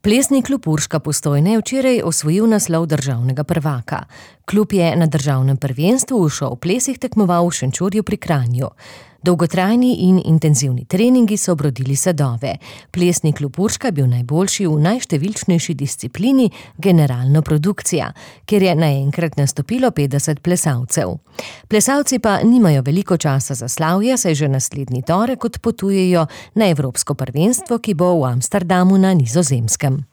Plesni klub Urška Postojna je včeraj osvojil naslov državnega prvaka. Klub je na državnem prvenstvu v šov plesih tekmoval v Šenčurju pri Kranju. Dolgotrajni in intenzivni treningi so obrodili sadove. Plesni klub Urška je bil najboljši v najštevilčnejši disciplini generalno produkcija, kjer je naenkrat nastopilo 50 plesalcev. Plesalci pa nimajo veliko časa za slavje, saj že naslednji torek odpotujejo na evropsko prvenstvo, ki bo v Amsterdamu na Nizozemskem.